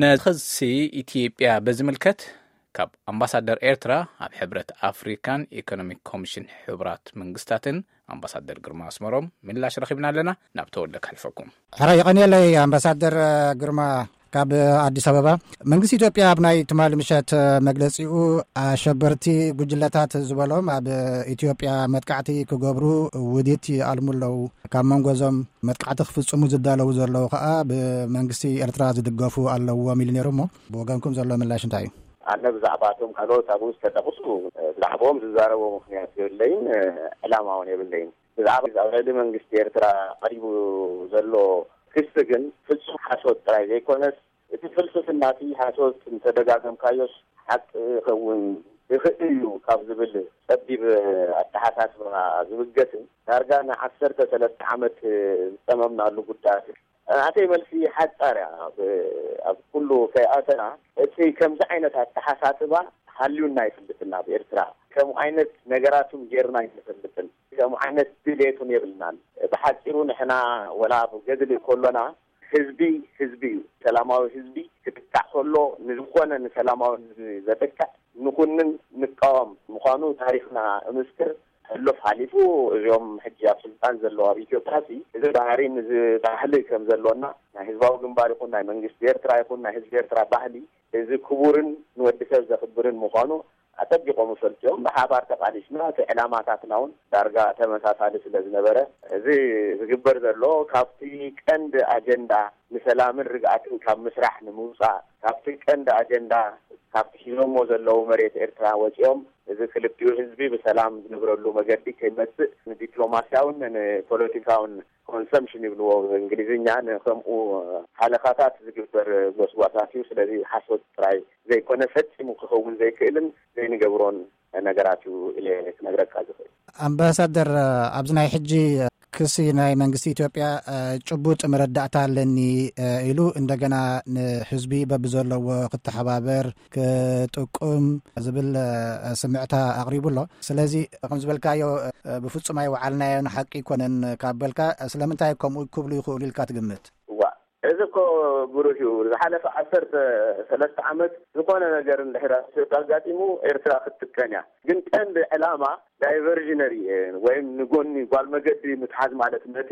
ነዚ ክሲ ኢትዮጵያ በዝምልከት ካብ ኣምባሳደር ኤርትራ ኣብ ሕብረት ኣፍሪካን ኢኮኖሚክ ኮሚሽን ሕቡራት መንግስታትን ኣምባሳደር ግርማ ኣስመሮም ምላሽ ረኺብና ኣለና። ናብ ተወልደ ከሕልፈኩም። ሕራይ የቐንየለይ ኣምባሳደር ግርማ። ካብ ኣዲስ ኣበባ መንግስቲ ኢትዮጵያ ኣብ ናይ ትማሊ ምሸት መግለጺኡ ኣሸበርቲ ጉጅለታት ዝበሎም ኣብ ኢትዮጵያ መጥቃዕቲ ክገብሩ ውዲት ይኣልሙ ኣለዉ። ካብ መንጎ እዞም መጥቃዕቲ ክፍጽሙ ዝዳለዉ ዘለዉ ከኣ ብመንግስቲ ኤርትራ ዝድገፉ ኣለዎም ኢሉ ነይሩ። እሞ ብወገንኩም ዘሎ ምላሽ እንታይ እዩ? ኣነ ብዛዕባ እቶም ካልኦት ኣብኡ ዝተጠቕሱ ብዛዕባኦም ዝዛረቦ ምኽንያት የብለይን፣ ዕላማ እውን የብለይን። ብዛዕባ ኣብ ልዕሊ መንግስቲ ኤርትራ ቀሪቡ ዘሎ ክሲ ግን ፍጹም ሓሶት ጥራይ ዘይኮነስ፣ እቲ ፍልስፍና እቲ ሓሶት እንተደጋገምካዮስ ሓቂ ክኸውን ይኽእል እዩ ካብ ዝብል ጸቢብ ኣተሓሳስባ ዝብገስን ዳርጋ ንዓሰርተ ሰለስተ ዓመት ዝጸመምናሉ ጉዳያት እዩ። ናተይ መልሲ ሓጻር እያ። ኣብ፣ ኣብ ኩሉ ከይኣተና፣ እቲ ከምዚ ዓይነት ኣተሓሳስባ ሃልዩና ኣይፈልጥን። ኣብ ኤርትራ ከምኡ ዓይነት ነገራት እውን ጌርና ኣይንፈልጥን። ከምኡ ዓይነት ድሌት እውን የብልናን። ብሓጺሩ ንሕና ወላ ኣብ ገድሊ ከሎና ህዝቢ ህዝቢ እዩ። ሰላማዊ ህዝቢ ክጥቃዕ ከሎ ንዝኾነ ንሰላማዊ ህዝቢ ዘጥቅዕ ንኹንን ንቃወም ምዃኑ ታሪኽና እምስክር። ሕሉፍ ሓሊፉ እዚኦም ሕጂ ኣብ ስልጣን ዘለዉ ኣብ ኢትዮጵያ ሲ እዚ ባህሪን እዚ ባህሊ ከም ዘሎና ናይ ህዝባዊ ግንባር ይኹን ናይ መንግስቲ ኤርትራ ይኹን ናይ ህዝቢ ኤርትራ ባህሊ እዚ ክቡርን ንወዲ ሰብ ዘኽብርን ምዃኑ ኣጸቢቖም ይፈልጡ እዮም። ብሓባር ተቓሊስና እቲ ዕላማታትና እውን ዳርጋ ተመሳሳሊ ስለ ዝነበረ እዚ ዝግበር ዘሎ ካብቲ ቀንዲ ኣጀንዳ ንሰላምን ርግኣትን ካብ ምስራሕ ንምውጻእ ካብቲ ቀንዲ ኣጀንዳ ካብቲ ሒዞሞ ዘለዉ መሬት ኤርትራ ወጺኦም እዚ ክልቲኡ ህዝቢ ብሰላም ዝነብረሉ መገዲ ከይመጽእ ንዲፕሎማስያውን ንፖለቲካውን ኮንሰምሽን ይብልዎ ብእንግሊዝኛ ንከምኡ ሃለኻታት ዝግበር ጎስጓሳት እዩ። ስለዚ ሓሶት ጥራይ ዘይኮነ ፈጺሙ ክኸውን ዘይክእልን ዘይንገብሮን ነገራት እዩ ኢለ ክነግረካ ዝኽእል። ኣምባሳደር፣ ኣብዚ ናይ ሕጂ ክሲ ናይ መንግስቲ ኢትዮጵያ ጭቡጥ መረዳእታ ኣለኒ ኢሉ እንደገና ንህዝቢ በብዘለዎ ክተሓባበር ክጥቁም ዝብል ስምዕታ ኣቕሪቡ ኣሎ። ስለዚ ከም ዝበልካዮ ብፍጹም ኣይወዓልናዮን ሓቂ ኣይኮነን ካብ በልካ ስለምንታይ ከምኡ ክብሉ ይኽእሉ ኢልካ ትግምት? እዋ፣ እዚ እኮ ብሩህ እዩ። ዝሓለፈ ዓሰርተ ሰለስተ ዓመት ዝኾነ ነገር እንድሕር ኣብ ኢትዮጵያ ኣጋጢሙ ኤርትራ ክትጥቀን እያ። ግን ቀንዲ ዕላማ ዳይቨርዥነሪ ወይም ንጎኒ ጓል መገዲ ምትሓዝ ማለት ነቲ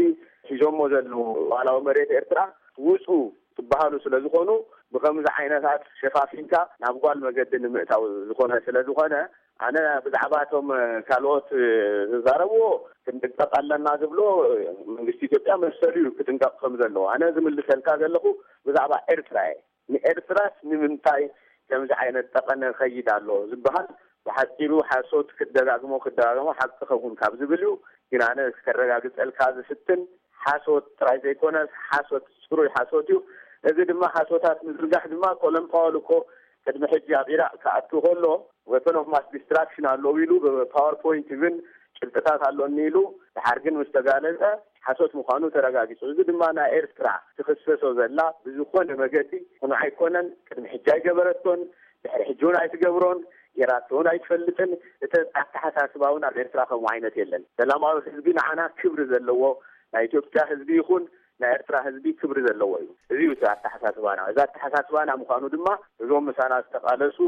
ሒዞሞ ዘለዉ ሉዓላዊ መሬት ኤርትራ ውጹ ትበሃሉ ስለ ዝኾኑ ብኸምዚ ዓይነታት ሸፋፊንካ ናብ ጓል መገዲ ንምእታው ዝኾነ ስለ ዝኾነ ኣነ ብዛዕባ እቶም ካልኦት ዝዛረብዎ ክንጥንቀቕ ኣለና ዝብሎ መንግስቲ ኢትዮጵያ መሰሉ እዩ ክጥንቀቕ ከም ዘለዎ። ኣነ ዝምልሰልካ ዘለኹ ብዛዕባ ኤርትራ እየ። ንኤርትራስ ንምንታይ ከምዚ ዓይነት ጠቐነ ከይድ ኣሎ ዝበሃል ብሓፂሩ ሓሶት ክደጋግሞ ክደጋግሞ ሓቂ ከውን ካብ ዝብል እዩ። ግን ኣነ ከረጋግፀልካ ዝፍትን ሓሶት ጥራይ ዘይኮነስ ሓሶት ፅሩይ ሓሶት እዩ። እዚ ድማ ሓሶታት ምዝርጋሕ ድማ ኮለን ፓወል እኮ ቅድሚ ሕጂ ኣብ ኢራቅ ክኣቱ ከሎ weapon of mass destruction ኣለዉ ኢሉ ብፓወርፖይንት ኢቭን ጭብጥታት ኣሎኒ ኢሉ ድሓር ግን ምስ ተጋለፀ ሓሶት ምዃኑ ተረጋጊፁ። እዚ ድማ ናይ ኤርትራ ትኽሰሶ ዘላ ብዝኾነ መገዲ ቅኑዕ ኣይኮነን። ቅድሚ ሕጂ ኣይገበረቶን፣ ድሕሪ ሕጂ እውን ኣይትገብሮን፣ ጌራቶ እውን ኣይትፈልጥን። እቲ ኣተሓሳስባ እውን ኣብ ኤርትራ ከምኡ ዓይነት የለን። ሰላማዊ ህዝቢ ንዓና ክብሪ ዘለዎ፣ ናይ ኢትዮጵያ ህዝቢ ይኹን ናይ ኤርትራ ህዝቢ ክብሪ ዘለዎ እዩ። እዚ እዩ እቲ ኣተሓሳስባና። እዚ ኣተሓሳስባና ምዃኑ ድማ እዞም ምሳና ዝተቓለሱ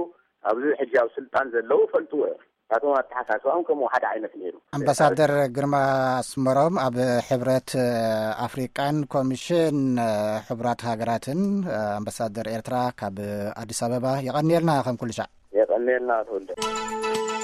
ኣብዚ ሕጂ ኣብ ስልጣን ዘለዉ ፈልጥዎ እዮም። ናቶም ኣተሓሳስባኦም ከምኡ ሓደ ዓይነት ነይሩ። ኣምባሳደር ግርማ ኣስመሮም ኣብ ሕብረት ኣፍሪቃን ኮሚሽን ሕቡራት ሃገራትን ኣምባሳደር ኤርትራ ካብ ኣዲስ ኣበባ፣ የቐንየልና ከም ኩሉ ሻዕ። የቐንየልና ተወልደ።